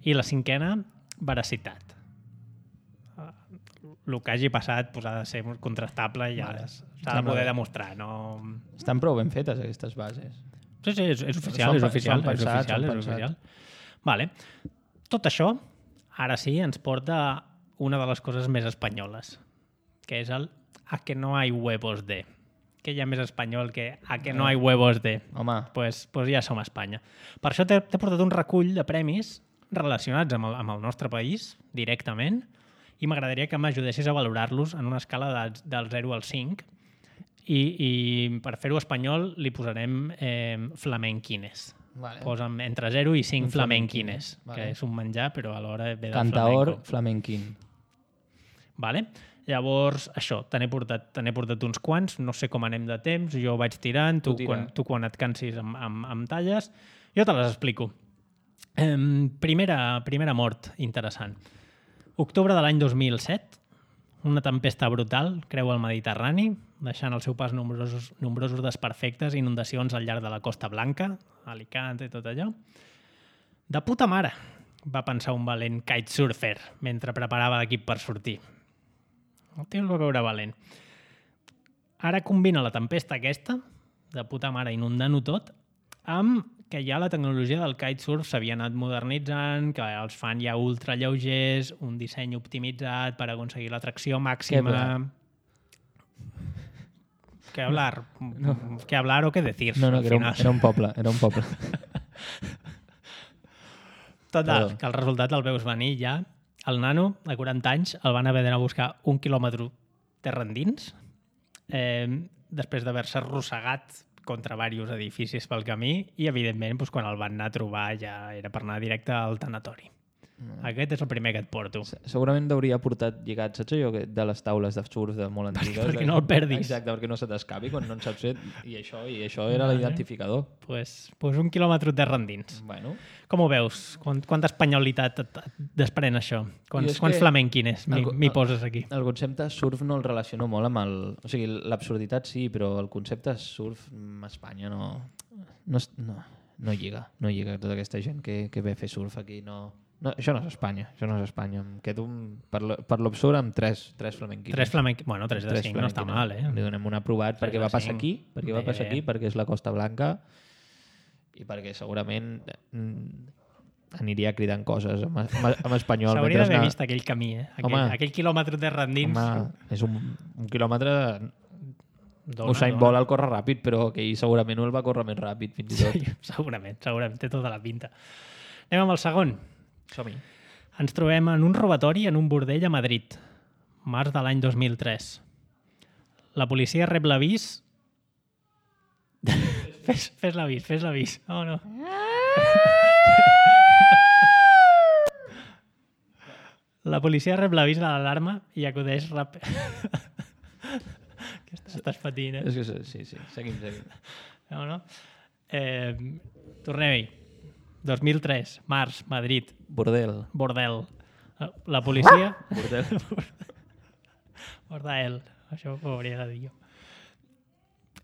I la cinquena, veracitat. El que hagi passat pues, ha de ser contrastable i ja Vale. s'ha de Sembla poder bé. demostrar. No... Estan prou ben fetes, aquestes bases. Sí, sí, és, és oficial, Són és pe- oficial, són és pensats, oficial, són és pensats. oficial. Vale. Tot això, ara sí, ens porta a una de les coses més espanyoles, que és el a que no hay huevos de. Que hi ha més espanyol que a que no hay huevos de. Home. Pues, pues ja som a Espanya. Per això t'he portat un recull de premis relacionats amb el, amb el nostre país, directament, i m'agradaria que m'ajudessis a valorar-los en una escala de, del zero al cinc. I, i per fer-ho espanyol li posarem eh, flamenquines. Vale. Posa'm entre zero i cinc Un flamenquines, vale. que és un menjar, però alhora ve del Cantaor flamenco. flamenquín. Vale? Llavors, això, te n'he portat, te n'he portat uns quants, no sé com anem de temps, jo vaig tirant, tu, Tu tira. quan, tu quan et cansis amb, amb, amb talles, jo te les explico. Eh, primera, primera mort interessant. Octubre de l'any dos mil set, una tempesta brutal creu el Mediterrani, deixant al seu pas nombrosos, nombrosos desperfectes i inundacions al llarg de la Costa Blanca, Alicante i tot allò. De puta mare, va pensar un valent kitesurfer mentre preparava l'equip per sortir. El tio el va veure valent. Ara combina la tempesta aquesta, de puta mare inundant-ho tot, amb que ja la tecnologia del kitesurf s'havia anat modernitzant, que els fan ja ultralleugers, un disseny optimitzat per aconseguir la tracció màxima... ¿Qué hablar? No. ¿Qué hablar o qué decir? No, no, al que era un, final. era un poble, era un poble. Total, Perdó. que el resultat el veus venir ja. El nano, de quaranta anys, el van haver d'anar a buscar un quilòmetre terra endins, eh, després d'haver-se arrossegat contra diversos edificis pel camí i, evidentment, doncs, quan el van anar a trobar ja era per anar directe al tanatori. Mm. Aquest és el primer que et porto. Segurament t'hauria portat lligat, saps allò que- de les taules de surf de molt antigues? perquè no el perdis. Exacte, perquè no se t'escapi quan no en saps fer. I això, i això era Vale. l'identificador. Pues, pues un quilòmetre terra endins. Bueno, Com ho veus? Quant, quanta espanyolitat et, et desprèn això? Jo Quants, és quants que- flamenquines m'hi el- m'hi el- poses aquí? el concepte surf no el relaciono molt amb el... O sigui, l'absurditat sí, però el concepte surf a Espanya no... No, es- no, no lliga. No lliga tota aquesta gent que, que ve a fer surf aquí. No, no, això no és Espanya. Això no és Espanya. Em quedo un, per lo- per l'absurd amb tres, tres flamenquines. Tres flamenquines. Bueno, tres de Tres cinc no està mal, flamenquines. eh? Li donem un aprovat Tres perquè de va passar cinc. aquí, perquè va Bé, passar bé. aquí, perquè és la Costa Blanca i perquè segurament mm, aniria cridant coses en, en, en espanyol. S'hauria mentre d'haver anar- vist aquell camí, eh? Aquell, Home. aquell quilòmetre terra endins. Home, és un, un quilòmetre... Dona, Usain dona. Bolt el corre ràpid, però que ell segurament no el va córrer més ràpid, fins i tot. Sí, segurament, segurament, té tota la pinta. Anem amb el segon. Som-hi. Ens trobem en un robatori en un bordell a Madrid, març de l'any dos mil tres. La policia rep l'avís... fes fes l'avís, fes l'avís. Oh, no. La policia rep l'avís de l'alarma i acudeix ràpid. Què estàs, estàs patint, eh? És que sí, sí, seguim, seguim. No, no? Eh, Tornem-hi. dos mil tres, març, Madrid, Bordel. bordel. La policia... Bordel. Bordel. Això ho hauria de dir jo.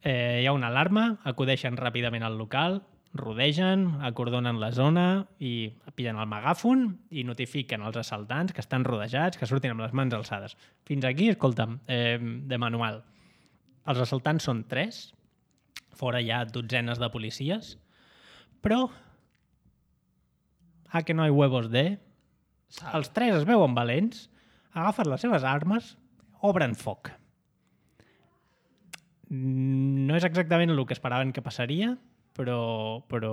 Eh, hi ha una alarma, acudeixen ràpidament al local, rodegen, acordonen la zona i pillen el megàfon i notifiquen als assaltants que estan rodejats, que surtin amb les mans alçades. Fins aquí, escolta'm, eh, de manual. Els assaltants són tres, fora hi ha dotzenes de policies, però a que no hi huevos de... Els tres es veuen valents, agafen les seves armes, obren foc. No és exactament el que esperaven que passaria, però, però,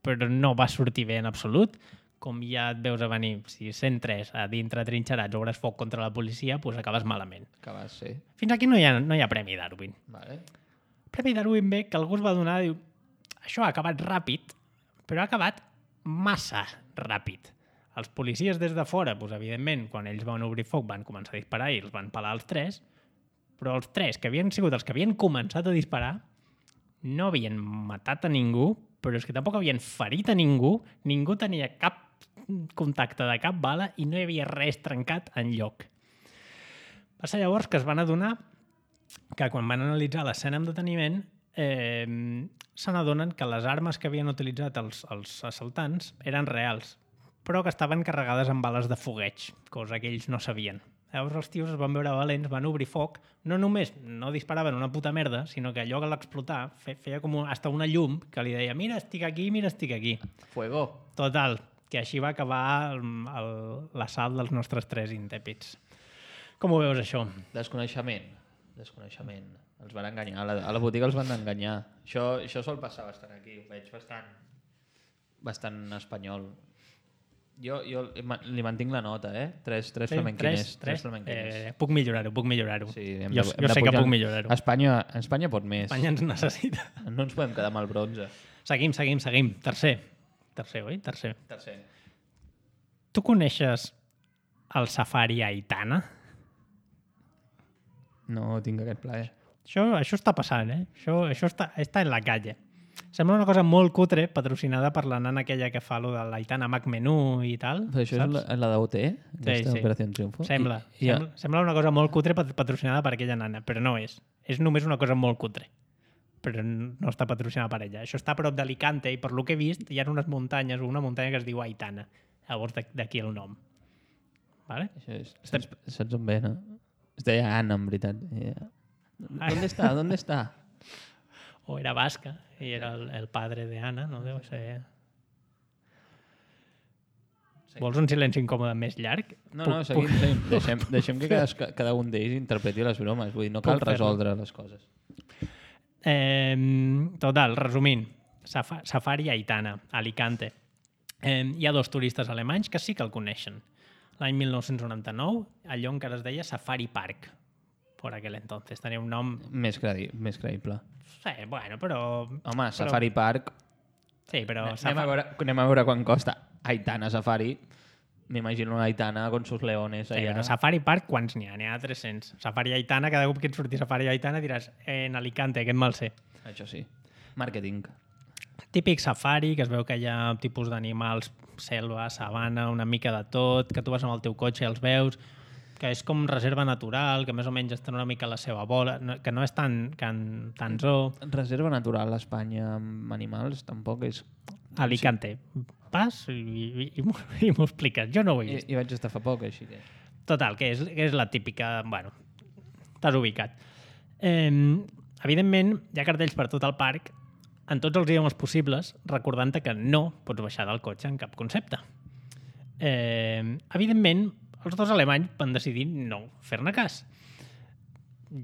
però no va sortir bé en absolut. Com ja et veus a venir, si cent tres a dintre trinxerats obres foc contra la policia, doncs acabes malament. Que va ser. Fins aquí no hi ha, no hi ha Premi Darwin. Vale. Premi Darwin ve que algú es va donar, diu, això ha acabat ràpid, però ha acabat massa ràpid. Els policies des de fora, doncs, evidentment, quan ells van obrir foc van començar a disparar i els van pelar els tres, però els tres que havien sigut els que havien començat a disparar no havien matat a ningú, però és que tampoc havien ferit a ningú, ningú tenia cap contacte de cap bala i no hi havia res trencat enlloc. Va ser llavors que es van adonar que quan van analitzar l'escena amb deteniment eh, se n'adonen que les armes que havien utilitzat els, els assaltants eren reals, però que estaven carregades amb bales de fogueig, cosa que ells no sabien. Llavors els tios es van veure valents, van obrir foc, no només no disparaven una puta merda, sinó que allò que l'explotar feia com un, hasta una llum que li deia mira, estic aquí, mira, estic aquí. Fuego. Total, que així va acabar l'assalt dels nostres tres intèpids. Com ho veus, això? Desconeixement. Desconeixement. Els van enganyar. A la, a la botiga els van enganyar. Això, això sol passar bastant aquí. Ho veig bastant, bastant espanyol. Jo, jo li mantinc la nota, eh? Tres, tres sí, flamenquines. Tres, tres flamenquines. Eh, puc millorar-ho, puc millorar-ho. Sí, jo de, jo sé que puc millorar-ho. Espanya, Espanya pot més. Espanya ens necessita. No ens podem quedar amb el bronze. Seguim, seguim, seguim. Tercer. Tercer, oi? Tercer. Tercer. Tu coneixes el safari Aitana? No tinc aquest plaer. Això, això està passant, eh? Això, això està, està en la calle. Sembla una cosa molt cutre, patrocinada per la nana aquella que fa lo de l'Aitana Mac Menú i tal. Però això saps? És la, la d'O T? Sí, sí. Operació Triunfo? Sembla, I, sembla, i... sembla una cosa molt cutre patrocinada per aquella nana, però no és. És només una cosa molt cutre. Però no està patrocinada per ella. Això està a prop d'Alicante i per lo que he vist hi ha unes muntanyes o una muntanya que es diu Aitana. Llavors d'aquí el nom. Vale? Això és, Estem... saps, saps on ve, no? Es deia Anna, en veritat. Yeah. ¿Dónde está? ¿Dónde está? O era basca i era el, el padre de Anna, no deu ser... Sí. Vols un silenci incòmode més llarg? No, puc, no, seguim, puc... seguim. Deixem, deixem que cada, cada un d'ells interpreti les bromes. Vull dir, no cal resoldre les coses. Eh, total, resumint, Saf Safari Aitana, Alicante. Eh, hi ha dos turistes alemanys que sí que el coneixen. L'any mil nou-cents noranta-nou, allò encara es deia Safari Park. Por aquel entonces. Tenia un nom... Més, credi més creïble. Sí, bueno, però... Home, Safari però... Park... Sí, però... Anem, Safari... a veure, anem a veure quan costa Aitana Safari. M'imagino una Aitana con sus leones allà. Sí, però Safari Park, quants n'hi ha? N'hi ha tres-cents. Safari Aitana, cada cop que et surti Safari Aitana diràs en Alicante, aquest mal sé. Això sí. Màrqueting. Típic safari, que es veu que hi ha tipus d'animals, selva, sabana, una mica de tot, que tu vas amb el teu cotxe i els veus... que és com reserva natural, que més o menys està una mica a la seva bola, que no és tan, tan, tan zoo. Reserva natural a Espanya amb animals tampoc és... Alicante. Pas i, i, i m'ho expliques. Jo no ho he vist. I, i vaig estar fa poc, així que... Total, que és, que és la típica... Bueno, t'has ubicat. Eh, evidentment, hi ha cartells per tot el parc, en tots els idiomes possibles, recordant-te que no pots baixar del cotxe en cap concepte. Eh, evidentment, els dos alemanys van decidir no fer-ne cas.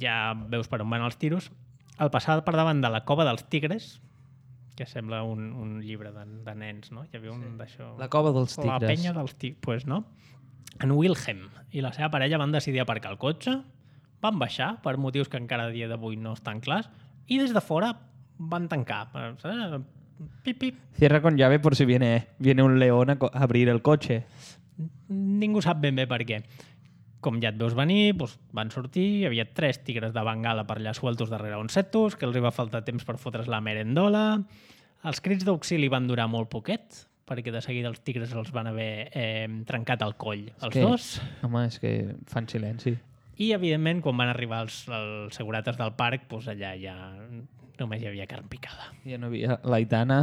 Ja veus per on van els tiros. Al passar per davant de la Cova dels Tigres, que sembla un, un llibre de, de nens, no? Hi havia un sí. d'això... La Cova dels Tigres. La penya dels Tigres, pues, no? En Wilhelm i la seva parella van decidir aparcar el cotxe, van baixar, per motius que encara a dia d'avui no estan clars, i des de fora van tancar. Saps? Pip, pip. Cierra con llave por si viene, viene un león a abrir el cotxe. Ningú sap ben bé per què. Com ja et veus venir, doncs van sortir, hi havia tres tigres de Bengala per allà sueltos darrere uns setos, que els hi va faltar temps per fotre's la merendola. Els crits d'auxili van durar molt poquet, perquè de seguida els tigres els van haver eh, trencat el coll, els que, dos. Home, és que fan silenci. I, evidentment, quan van arribar els, els segurates del parc, doncs allà ja només hi havia carn picada. Ja no havia l'Aitana.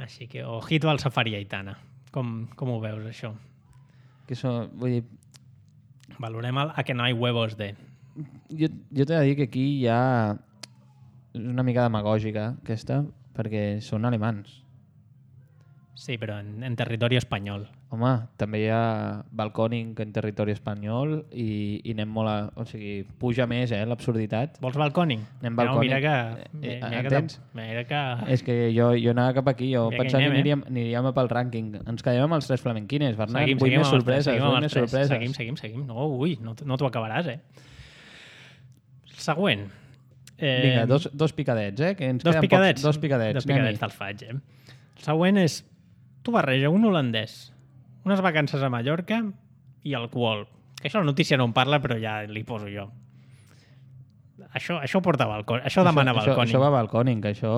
Així que, ojito al safari Aitana. Com, com ho veus, això? Que això, vull dir... Valorem el a que no hi huevos de... Jo, jo t'he de dir que aquí hi ha una mica demagògica, aquesta, perquè són alemans. Sí, però en, en territori espanyol. Home, també hi ha balcòning en territori espanyol i, i anem molt a... O sigui, puja més, eh, l'absurditat. Vols balcòning? Anem balcòning. No, mira que... Eh, mira entens? Que, mira que... És que jo, jo anava cap aquí, jo mira pensava que, anem, que aniríem, eh? aniríem pel rànquing. Ens quedem amb els tres flamenquines, Bernat. Seguim, vull seguim més sorpreses, seguim vull més sorpreses. Seguim, seguim, seguim. No, ui, no, no t'ho acabaràs, eh? Següent. Eh, Vinga, dos, dos picadets, eh? Que ens dos queden picadets. Pocs, dos picadets. Dos picadets te'l faig, eh? El següent és... Tu barreja un holandès, unes vacances a Mallorca i alcohol. Que això la notícia no en parla, però ja li poso jo. Això, això porta balcòning. Això, això demana això, balcòning. Això va balcòning, això...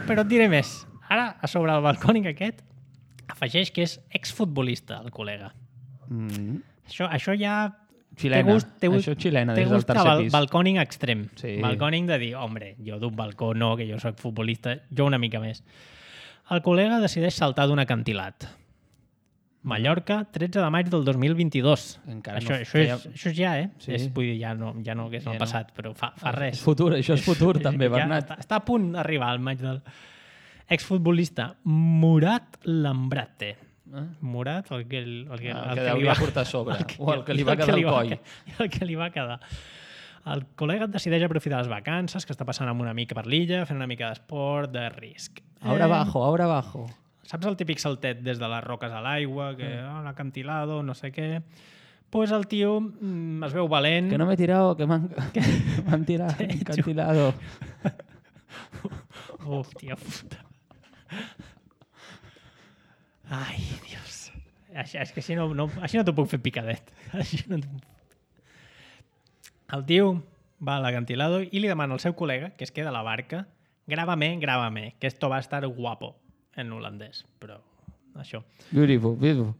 Però et diré més. Ara, a sobre el balcòning aquest, afegeix que és exfutbolista, el col·lega. Mm. Això, això ja... Xilena. Té gust, té gust, això xilena, té des del tercer bal pis. Balcòning extrem. Sí. Balcòning de dir, hombre, jo d'un balcó no, que jo soc futbolista, jo una mica més. El col·lega decideix saltar d'un acantilat. Mallorca, tretze de maig del dos mil vint-i-dos. Encara això, no això, feia- és, això és ja, eh? Sí. És, vull dir, ja no, ja no que és Ja el no. passat, però fa, fa res. És futur, això és futur també, Ja Bernat. està, està a punt d'arribar al maig del... Exfutbolista Murat Lambrate. Eh? Murat, el que, el, el que, El el que li hauria va portar a sobre, el que- o el que li i va quedar li al coll. que- i el que li va quedar. El col·lega decideix aprofitar les vacances, que està passant amb una mica per l'illa, fent una mica d'esport, de risc. Ahora abajo, ahora abajo. Saps el típic saltet des de les roques a l'aigua, que mm. oh, l'acantilado, no sé què... Pues el tio mm, es veu valent... Que no me he tirado, que m'han m'han tirat encantilado. Hòstia puta. Ai, Dios. Així, és que així no, no, així no t'ho puc fer picadet. Així no t'ho... El tio va a l'acantilado i li demana al seu col·lega, que es queda a la barca, grábame, grábame, que esto va a estar guapo, en holandès, però això. Beautiful, beautiful.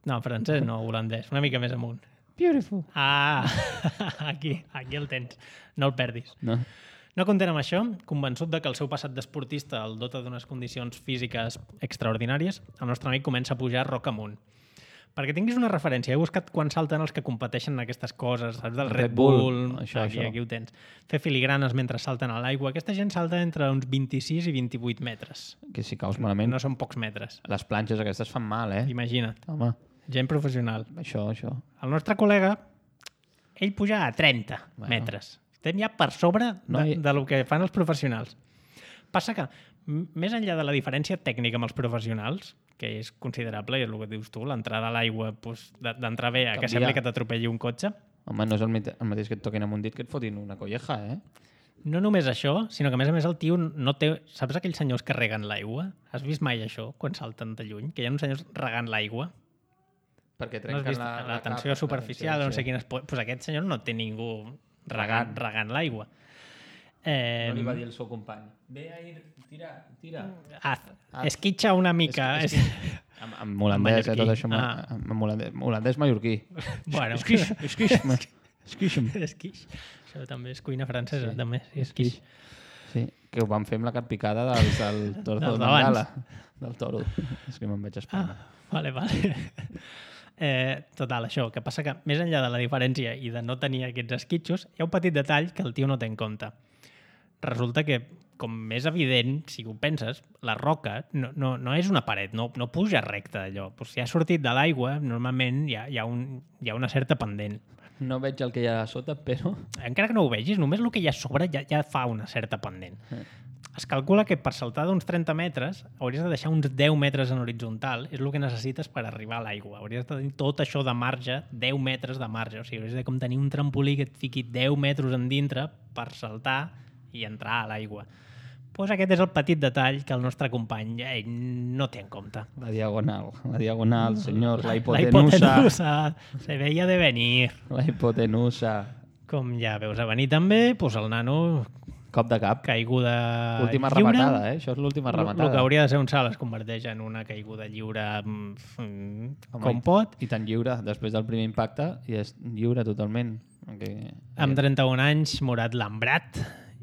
No, francès no, holandès, una mica més amunt. Beautiful. Ah, aquí, aquí el tens, no el perdis. No. No content amb això, convençut de que el seu passat d'esportista el dota d'unes condicions físiques extraordinàries, el nostre amic comença a pujar roca amunt. Perquè tinguis una referència, he buscat quan salten els que competeixen en aquestes coses, saps? Del Red, Red Bull, Bull, això, aquí, això. aquí ho tens. Fer filigranes mentre salten a l'aigua. Aquesta gent salta entre uns vint-i-sis i vint-i-vuit metres. Que si caus malament, No són pocs metres. les planxes aquestes fan mal, eh? Imagina't. Home, Gent professional. això, això. El nostre col·lega, ell puja a trenta Bueno. metres. Estem ja per sobre de, No hi- de lo que fan els professionals. Passa que, m- més enllà de la diferència tècnica amb els professionals, que és considerable, i és el que dius tu, l'entrada a l'aigua, doncs, de- d'entrar bé a que Canvia. sembli que t'atropelli un cotxe, Home, no és el, mite- el mateix que et toquin amb un dit que et fotin una colleja, eh? no només això, sinó que a més a més el tio no té... Saps aquells senyors que reguen l'aigua? Has vist mai això, quan salten de lluny? Que hi ha uns senyors regant l'aigua? Perquè No has trenquen vist la, la, tensió capa, superficial, sí, no sé sí. quines... Pues aquest senyor no té ningú regant, Regant. regant l'aigua. Eh, No li va dir el seu company. Ve a ir, tira, tira. haz, Ah. esquitxa una mica. És- És, és Amb, amb holandès, eh, mallorquí. tot això. Ah. Ah. Amb holandès, holandès mallorquí. Bueno. Esquix, esquix, esquix. esquix. Això també és cuina francesa, Sí. també. Sí, esquix. Sí, que ho van fer amb la carpicada del, del toro Dels de d'abans. Bengala. Del toro. És que me'n vaig espanyar. Ah, vale, vale. Eh, total, això, que passa que més enllà de la diferència i de no tenir aquests esquitxos, hi ha un petit detall que el tio no té en compte. Resulta que, com més evident, si ho penses, la roca no, no, no és una paret, no, no puja recta allò. Pues si ha sortit de l'aigua, normalment hi ha, hi, ha un, hi ha una certa pendent. No veig el que hi ha a sota, però... Encara que no ho vegis, només el que hi ha a sobre ja, ja fa una certa pendent. Eh. Es calcula que per saltar d'uns trenta metres hauries de deixar uns deu metres en horitzontal, és el que necessites per arribar a l'aigua. Hauries de tenir tot això de marge, deu metres de marge. O sigui, hauries de com tenir un trampolí que et fiqui deu metres en dintre per saltar i entrar a l'aigua. Pues aquest és el petit detall que el nostre company eh, no té en compte. La diagonal, la diagonal, senyors, la La hipotenusa. hipotenusa se veia de venir. La hipotenusa. Com ja veus a venir també, pues el nano Cop de cap. caiguda Última lliure. rematada, eh? Això és l'última rematada. El que hauria de ser un salt es converteix en una caiguda lliure mm, mm, Home, com pot. I tan lliure, després del primer impacte, i és lliure totalment. Que... Amb trenta-un anys, Murat Lambrat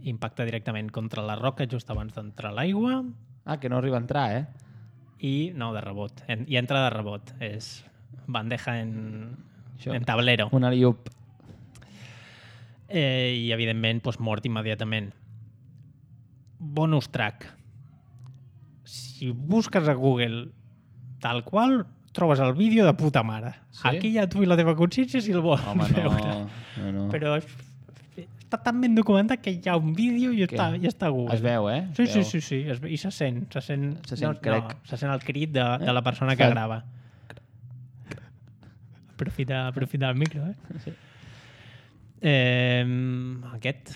impacta directament contra la roca just abans d'entrar a l'aigua Ah, que no arriba a entrar, eh? i, no, de rebot. En, I entra de rebot. És bandeja en, Això. en tablero. Un alley-oop. Eh, I, evidentment, doncs, mort immediatament. Bonus track. Si busques a Google tal qual, trobes el vídeo de puta mare. Sí? Aquí ja tu i la teva consciència si el vols Home, no, veure. no, no. Però està tan ben documentat que hi ha un vídeo i està, i està a Google. Es veu, eh? Sí, Es sí, veu. sí, sí. Es, I se sent. Se sent, Se sent, no, crec. No, se sent el crit de, de la persona que Fa- grava. Aprofita, aprofita el micro, eh? Sí. eh aquest,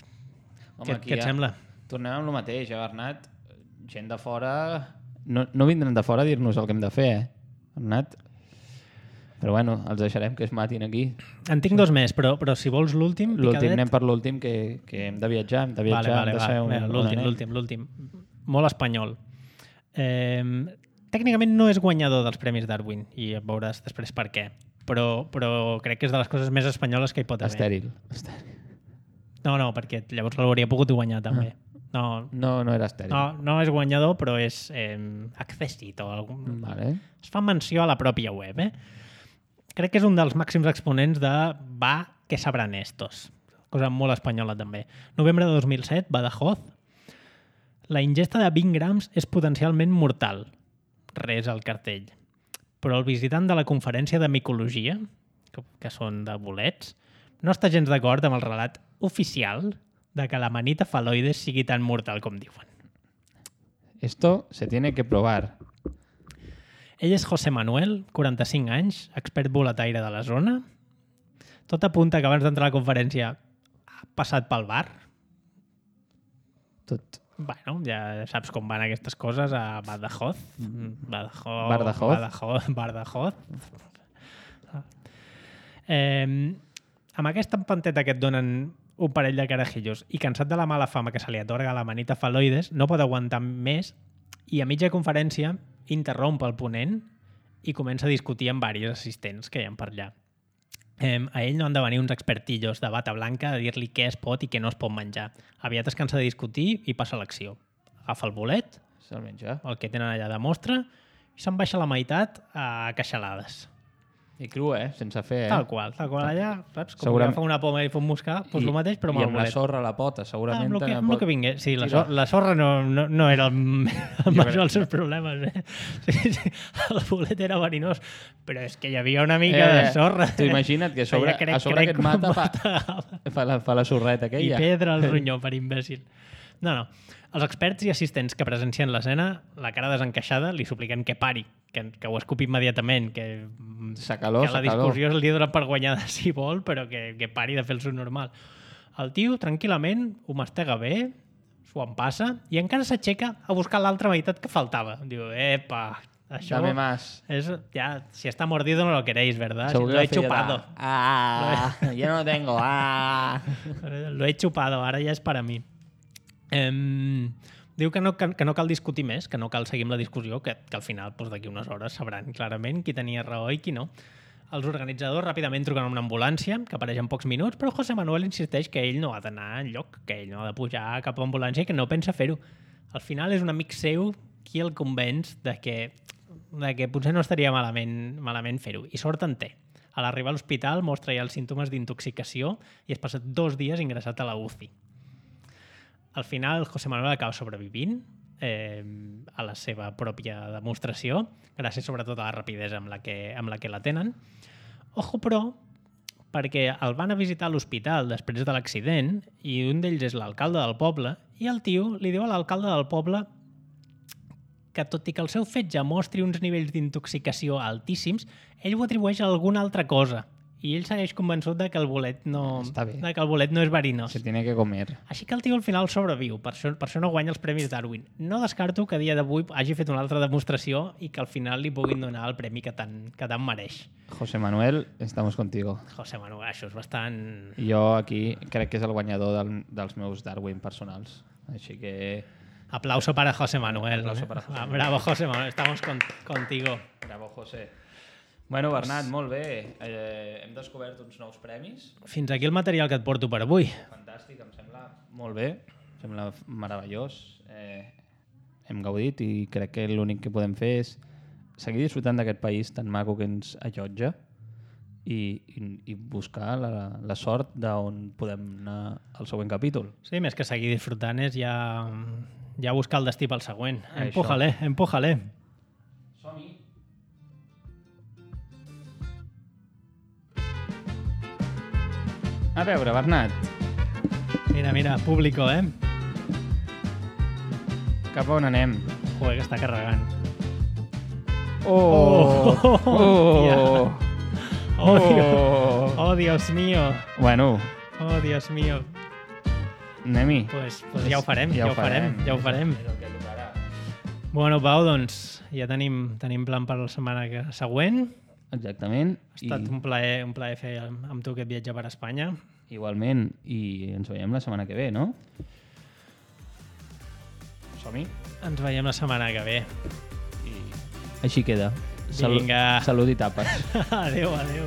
Home, què, aquí què et ja sembla? Tornem amb el mateix, eh, Bernat? Gent de fora... No, no vindran de fora a dir-nos el que hem de fer, eh, Bernat? Però bueno, els deixarem que es matin aquí. En tinc dos més, però, però si vols l'últim, L'últim, picadet... anem per l'últim, que, que hem de viatjar, hem de viatjar, Vale, vale, hem de va. saber on, Mira, on l'últim, anem. l'últim, l'últim. Molt espanyol. Eh, tècnicament no és guanyador dels Premis Darwin, i veuràs després per què. Però, però crec que és de les coses més espanyoles que hi pot haver. Estèril. Estèril. No, no, perquè llavors l'hauria pogut guanyar també. No, No, no era estèril. no, no és guanyador, però és eh, accèssit. O algun... Vale. Es fa menció a la pròpia web. Eh? Crec que és un dels màxims exponents de va, que sabran estos. Cosa molt espanyola, també. Novembre de dos mil set, Badajoz. La ingesta de vint grams és potencialment mortal. Res al cartell. Però el visitant de la conferència de micologia, que, que són de bolets, no està gens d'acord amb el relat oficial de que l'amanita fal·loides sigui tan mortal com diuen. Esto se tiene que probar. Ell és José Manuel, quaranta-cinc anys, expert boletaire de la zona. Tot apunta que abans d'entrar a la conferència ha passat pel bar. Tot. Bueno, ja saps com van aquestes coses a Badajoz. Badajoz. Badajoz. Badajoz. Badajoz. Eh, amb aquesta empanteta que et donen un parell de carajillos i cansat de la mala fama que se li atorga a la manita fal·loides, no pot aguantar més i a mitja conferència interromp el ponent i comença a discutir amb diversos assistents que hi ha per allà. Eh, a ell no han de venir uns expertillos de bata blanca a dir-li què es pot i què no es pot menjar. Aviat es cansa de discutir i passa a l'acció. Agafa el bolet, Se'l menja. el que tenen allà de mostra, i se'n baixa la meitat a queixalades. I cru, eh? Sense fer, eh? Tal qual, tal qual allà, saps? Com Segurament- que fa una poma i fa un moscar, doncs el mateix, però amb I el amb la bolet. sorra a la pota, Ah, segurament. amb el que, també amb el pot- que vingués. Sí, la, Sí, sor la sorra no, no, no era el, el major dels seus crec- problemes. Eh? Sí, sí, el bolet era verinós, però és que hi havia una mica de sorra. Tu imagina't que a sobre, Feia crec, a sobre crec que et mata fa, matava. fa, la, fa la sorreta I aquella. pedra al ronyó per imbècil. No, no. Els experts i assistents que presencien l'escena, la cara desencaixada, li supliquen que pari, que, que ho escupi immediatament, que, S'acalor, que la s'acalor. discussió li dona per guanyada si vol, però que, que pari de fer el seu normal. El tio, tranquil·lament, ho mastega bé, s'ho en passa, i encara s'aixeca a buscar l'altra meitat que faltava. Diu, epa, això... Dame más. Es, ya, si está mordido no lo queréis, ¿verdad? Segur Si que lo he feia de, chupado. Ah, ya no tengo. Ah. Lo he chupado, ara ja és per a mi. Um, diu que no, que, que no cal discutir més, que no cal seguir amb la discussió, que, que al final doncs, d'aquí unes hores sabran clarament qui tenia raó i qui no. Els organitzadors ràpidament truquen una ambulància, que apareix en pocs minuts, però José Manuel insisteix que ell no ha d'anar enlloc, que ell no ha de pujar a cap ambulància i que no pensa fer-ho. Al final és un amic seu qui el convenç de que, de que potser no estaria malament, malament fer-ho, i sort en té. A l'arribar a l'hospital mostra ja els símptomes d'intoxicació i es passa dos dies ingressat a la U C I. Al final, José Manuel acaba sobrevivint eh, a la seva pròpia demostració, gràcies sobretot a la rapidesa amb la que, amb la que la tenen. Ojo, però, perquè el van a visitar a l'hospital després de l'accident i un d'ells és l'alcalde del poble i el tio li diu a l'alcalde del poble que tot i que el seu fetge mostri uns nivells d'intoxicació altíssims, ell ho atribueix a alguna altra cosa. I ell segueix convençut de que el bolet no, Està bé. de que el bolet no és verinós. Se tiene que comer. Així que el tio al final sobreviu, per això, per això no guanya els Premis Darwin. No descarto que a dia d'avui hagi fet una altra demostració i que al final li puguin donar el premi que tant, que tant mereix. José Manuel, estamos contigo. José Manuel, això és bastant... Jo aquí crec que és el guanyador del, dels meus Darwin personals. Així que... Aplauso para José Manuel. Aplauso para José Ah, Manuel. bravo, José Manuel. Estamos con, contigo. Bravo, José. Bueno, Bernat, molt bé. Eh, hem descobert uns nous premis. Fins aquí el material que et porto per avui. Fantàstic, em sembla molt bé. Em sembla meravellós. Eh, hem gaudit i crec que l'únic que podem fer és seguir disfrutant d'aquest país tan maco que ens allotja i, i, i buscar la, la sort d'on podem anar al següent capítol. Sí, més que seguir disfrutant és ja, ja buscar el destí pel següent. Això. Empújale, empújale. Som-hi! A veure, Bernat, Mira, mira, público, eh? cap a on anem? Joder, que està carregant. Oh! Oh! Oh! Oh, Dios, oh, Dios mío. Bueno, Oh, Dios mío. anem-hi. Pues, pues ja ho farem, ja, ho farem, ja ho farem. És el que tocarà. Bueno, Pau, doncs ja tenim, tenim plan per la setmana que- següent. Exactament. Ha estat un plaer, un plaer fer amb amb tu aquest viatge per Espanya. Igualment. I ens veiem la setmana que ve, no? Som-hi. Ens veiem la setmana que ve. I així queda. Salut, Vinga. salut i tapes. Adéu, adéu.